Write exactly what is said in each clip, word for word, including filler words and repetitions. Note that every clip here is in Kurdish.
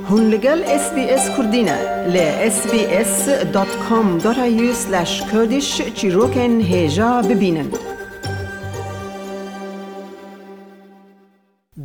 Hûn li gel S B S Kurdî ne. Li S B S dot com dot A U slash Kurdish çîrokên hêja bibînin.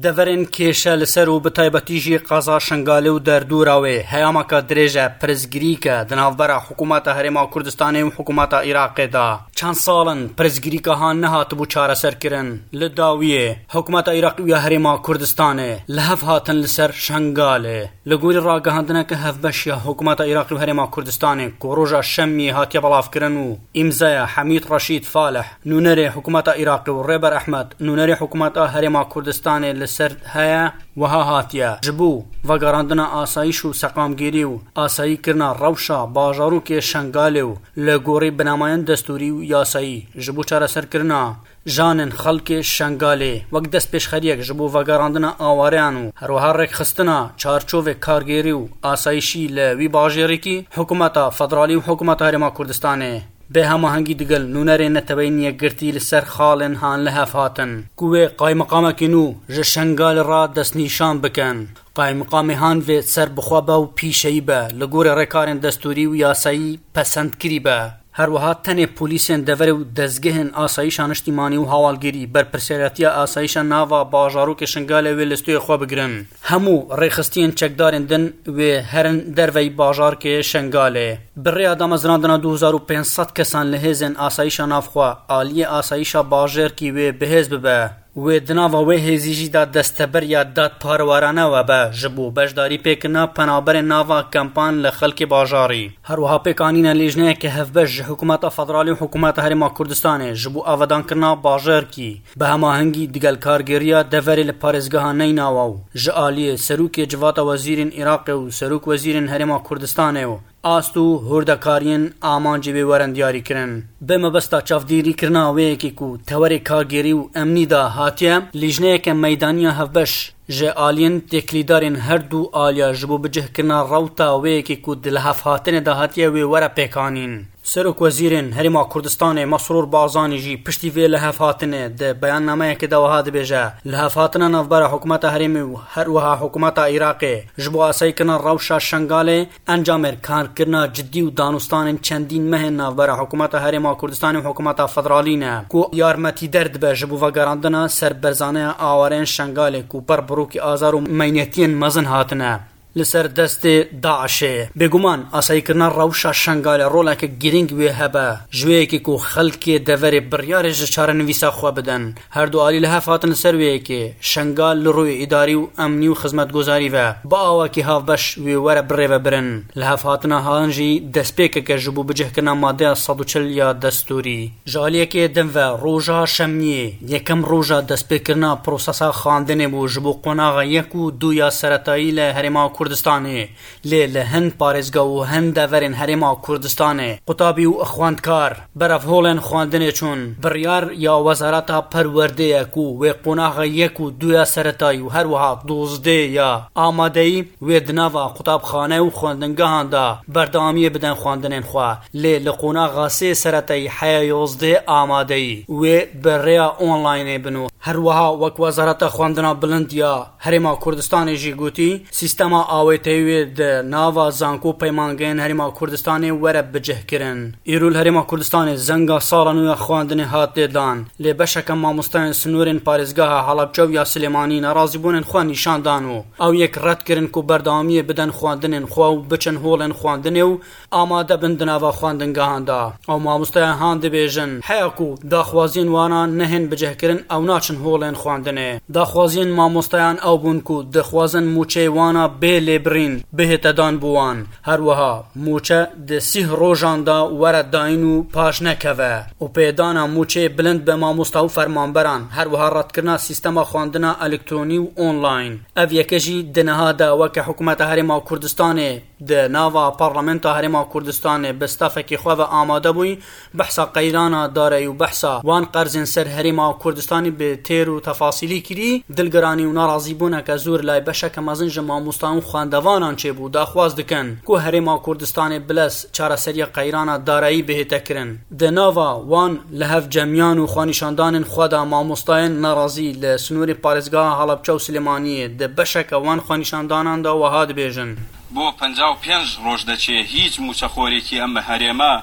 Deverên kêşe li ser û bi taybetî jî qeza Şengalê û derdora wê heyameka dirêj e, pirsgirîk e di navbera Hikûmeta Herêma Kurdistanê û Hikûmeta Iraqê de. Çend sal in pirsgirîka han nehatibû çareserkirin. Li dawiyê, Hikûmeta Iraqê û ya Herêma Kurdistanê li hev hatin li ser Şengalê. Li gorî ragihandineke hevbeş ya Hikûmeta Iraqê û Herêma Kurdistanê ku roja Şemiyê hatiye belavkirin û îmzaya Hemîd Reşîd Falih, nûnerê Hikûmeta Iraqê û Rêber Ehmed, nûnerê Hikûmeta Herêma Kurdistanê li ser heye, wiha hatiye: Ji bo vegerandina asayîş û seqamgêrî û asayîkirina rewşa bajarokê Şengalê û li gorî binamayên destûrî û yasayî, ji bo çareserkirina janên xelkê Şengalê, wek destpêşxeriyek ji bo vegerandina awareyan û herwiha rêkxistina çarçovê kargêrî û asayîşî li wî bajêrîkî, Hikûmeta Federalî û Hikûmeta Herêma Kurdistanê bi hemahengî digel nûnerên Neteweyên Yekgirtî li ser xalên han li hev hatin ku wê qaymiqamekî nû ji Şengalê re destnîşan bikin. Qaymiqamê han vê serbixwe be û pîşeyî be, li gorî rêkarên destûrî û yasayî pesendkirî be. Her wiha tenê polîsên deverê û dezgehên asayîşa niştîmanî û hawalgirî berpirsiyaretiya asayîşa nava bajarokê Şengalê wê li stûyê xwe bigirin. Hemû rêxistiyên çekdarên din wê herin derveyî bajarkê Şengalê. Bi rêya damezrandina du hezar û pênc sed kesan li hêzên asayîşa navxwe, aliyê asayîşa bajêrkî wê bihêz bibe. Wê di nava wê hêzî jî de desteberiya dadparwarane webe ji bo beşdarî pêkirina penaberên nava kempan li xelkê bajarî. Her wiha pêkanîne lîjneyeke hevbeş ji Hikûmeta Federalî û Hikûmeta Herêma Kurdistanê ji bo avedankirina bajêrkî, bi hemahengî digel kargêriya deverê li parêzgeha Neynawa û ji aliyê Serokê Civata Wezîrên Iraqê û Serok Wezîrên Herêma Kurdistanê û ast û hurdekariyên amancê wê werin diyarîkirin. Bi mebesta çavdêrîkirina wê yekê ku tewerê kargêrî û emnî de hatiye, lîjneyeke meydanî ya hevbeş ji aliyên têkilîdarên her du aliya ji bo bicihkirina rewta wê yekê ku di lihevhatinê de hatiye wê were pêkanîn. Serok Wezîrên Herêma Kurdistanê Mesrûr Barzanî jî piştî vê lihevhatinê di beyannameyekê de wiha dibêje: Lihevhatina navbera Hikûmeta Herêmê û her wiha Hikûmeta Iraqê ji bo asayîkirina rewşa Şengalê encamê karkirina cidî û danûstanên çendîn mehên navbera Hikûmeta Herêma Kurdistanê û Hikûmeta Federalî ne, ku yarmetîder dibe ji bo vegerandina serberzaneya awareyên Şengalê ku ber birokî azar û meynetiyên mezin hatine li ser destê DAIŞê. Bêguman, asayîkirina rewşa Şengalê roleke girîng wê hebe, ji wê yekê ku xelkê deverê biryarê ji çarenivîsa xwe bidin. Her du alî li hev hatin li ser wê yekê Şengal li rûyê îdarî û emnî û xizmetguzarî ve bi awakî havbeş wê were birêvebirin. Li hev hatina han jî destpêkeke ji bo bicihkirina madeya sed û çil ya destûrî. Ji aliyekê din ve roja Şemiyê, yekem roja destpêkirina prosesa xwendinê bû ji bo qonaxa yek û du ya seretayî li Herêma Kurdistanê. Lê li hin parêzga û hin deverên Herêma Kurdistanê qutabî û xwendkar berevholên xwendinê çûn. Biryar ya Wezareta Perwerdê ye ku wê qonaxa yek û du ya seretayî û her wiha dozdeh ya amadeyî wê di nava qutabxane û xwendingehan de berdewamiyê bidin xwendinên xwe. Lê li qonaxa sê seretayî heya yozdeh amadeyî wê bi rêya onlaynê bin û her wiha wek Wezareta Xwendina Bilind ya Herêma Kurdistanê jî gotî, sîstema awêteyî wê di nava zanko û peymangehên Herêma Kurdistanê were bicihkirin. Îro li Herêma Kurdistanê zenga sala nû ya xwendinê hat lêdan, lê beşeke mamosteyên sînorên parêzgeha Helebce û ya Silêmanî nerazîbûnên xwe nîşan dan û ew yek red kirin ku berdewamiyê bidin xwendinên xwe û biçin holên xwendinê û amade bin di nava xwendingehan de. Ew mamosteyan han dibêjin, heya ku daxwaziyên wana nehên bicihkirin, ew naçin holên xwendinê. Daxwaziyên mamosteyan ew bûn ku dixwazin mûçeyê wana bê lêbirîn bihête dan bo wan. Her wiha mûçe di sîh rojan de were dayîn û paş nekeve û pêdana mûçeyê bilind bi mamosta û fermanberan, her wiha redkirina sîstema xwendina elektronî û online. Ev yeke jî di niha de weke Hikûmeta Herêma Kurdistanê di nava Parlamenta Herêma Kurdistanê bi stafekî xwe ve amade bûyî, behsa qeyrana darayî û behsa wan qerzên ser Herêma Kurdistanê bi têr û tefasîlî kirî, dilgiranî û nerazîbûneke zor lay beşeke mezin ji mamostayan û xwendevanan çêbû, daxwaz dikin ku Herêma Kurdistanê Bilez çareseriya qeyrana darayî bihête kirin. Di nava wan lihevcemiyan û xwenîşandanên xwe de mamostayên nerazî li sînorê parêzgeha Helebçe û Silêmaniyê di beşeke wan xwenîşandanan de wiha dibêjin. بۆ پەنجا و پێنج ڕۆژ دەچێ، هیچ موچەخۆرێکی ئەم هەرێمە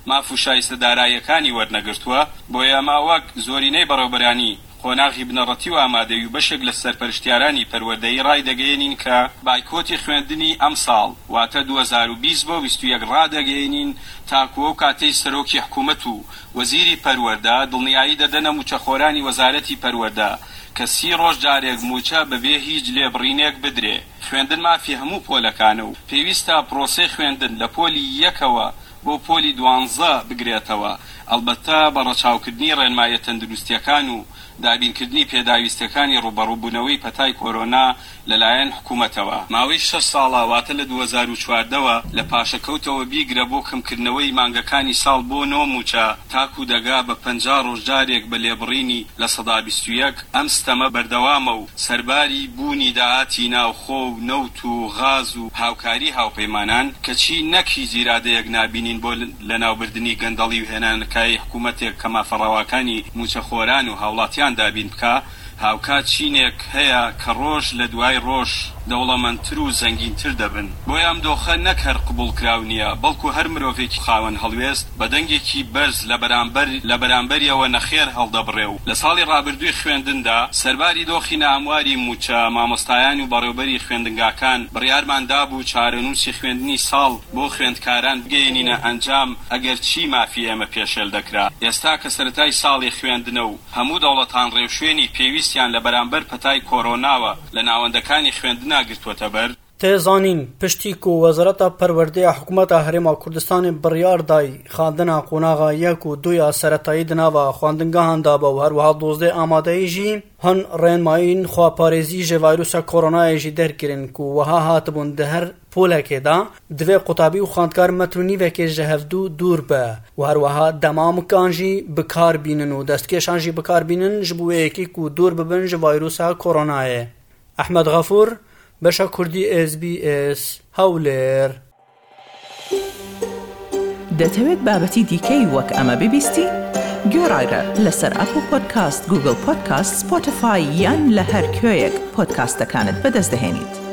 ماف و شایستە داراییەکانی وەرنەگرتووە. بۆیە ئەمە وەک زۆرینەی بەڕێوەبەرانی قۆناغی بنەڕەتی و ئامادەیی و بەشێک لە سەرپەرشتیارانی پەروەردەیی ڕایدەگەیەنین کە بایکۆتی خوێندنی ئەم ساڵ، واتە دوو هەزار و بیست بۆ بیست و یەک ڕادەگەیەنین، تاکو ئەو کاتەی سەرۆکی حکوومەت و وەزیری پەروەردە دڵنیایی دەدەنە موچەخۆرانی وەزارەتی پەروەردە کە سی ڕۆژ جارێک موچە بەبێ هیچ لێبڕینێک بدرێ. خوێندن مافی هەموو پۆلەکانە و پێویستە پرۆسەی خوێندن لە پۆلی یەکەوە بۆ پۆلی دوانزە بگرێتەوە، ئەلبەتە بە ڕەچاوکردنی ڕێنماییە تەندروستیەکان و دابینکردنی پێداویستیەکانی ڕوبەڕووبوونەوەی پەتای کۆرۆنا لەلایەن حکوومەتەوە. ماوەی شەش ساڵە، واتە لە دوو هەزار و چواردەوە لە پاشەکەوتەوە، بیگرە بۆ کەمکردنەوەی مانگەکانی ساڵ بۆ نۆ موچە، تاکو دەگا بە پەنجا ڕۆژ جارێک بە لێبڕینی لە سەدا بیست و یەک. ئەم ستەمە بەردەوامە و سەرباری بوونی داهاتی ناوخۆ و نەوت و غاز و هاوکاری هاوپەیمانان، کەچی نەک هیچ ئیرادەیەک نابینین بۆ لەناوبردنی گەندەڵی و هێنانەکای حکوومەتێک کە مافەڕەواکانی موچەخۆران و هاوڵاتیان دابین بکا، هاوکات چینێک هەیە کە ڕۆژ لە دوای ڕۆژ دەوڵەمەندتر و زەنگینتر دەبن. بۆیە ئەم دۆخە نەک هەر قبوڵ کراو نییە، بەڵکو هەر مرۆڤێکی خاوەن هەڵوێست بە دەنگێکی بەرز لە بەرامبەر، لە بەرامبەریەوە نەخێر هەڵدەبڕێ و لە ساڵی ڕابردووی خوێندندا سەرباری دۆخی ناهەمواری موچە، مامۆستایان و بەڕێوەبەری خوێندنگاکان بڕیارمان دابوو چارەنووسی خوێندنی ساڵ بۆ خوێندکاران بگەیەنینە ئەنجام، ئەگەر چی مافی ئێمە پێشێل دەکرا. ئێستا کە سەرەتای ساڵی خوێندنە و هەموو دەوڵەتان ڕێوشوێنی پێویستیان لە بەرامبەر پەتای کۆرۆناوە لە ناوەندەکانی خوێندنا گرتووەتە بەر. Tê zanîn, piştî ku Wezareta Perwerdê ya Hikûmeta Herêma Kurdistanê biryar day xandina qonaxa yek û du ya seretayî di nava xwendingehan de be û her wiha dozdeh amadeyî jî hin rênmayîn xweparêzî ji vîrusa koronayê jî derkirin ku wiha hatibûn di her polekê de divê qutabî û xwendkar metr û nîvekê ji hevdû dûr be û her wiha demamokan jî bi kar bînin û destkêşan jî bi kar bînin ji bo wê yekê ku dûr bibin ji vîrusa koronayê. Ehmed Xefûr, Beşa Kurdî S B S, Hewlêr. دەتەوێت بابەتی دیکەی وەک ئەمە ببیستی؟ گوێڕایرە لەسەر ئەپڵ پۆدکاست، گوگڵ پۆدکاست، سپۆتیفای یان لە هەر کوێیەک پۆدکاستەکانت بەدەست دەهێنیت.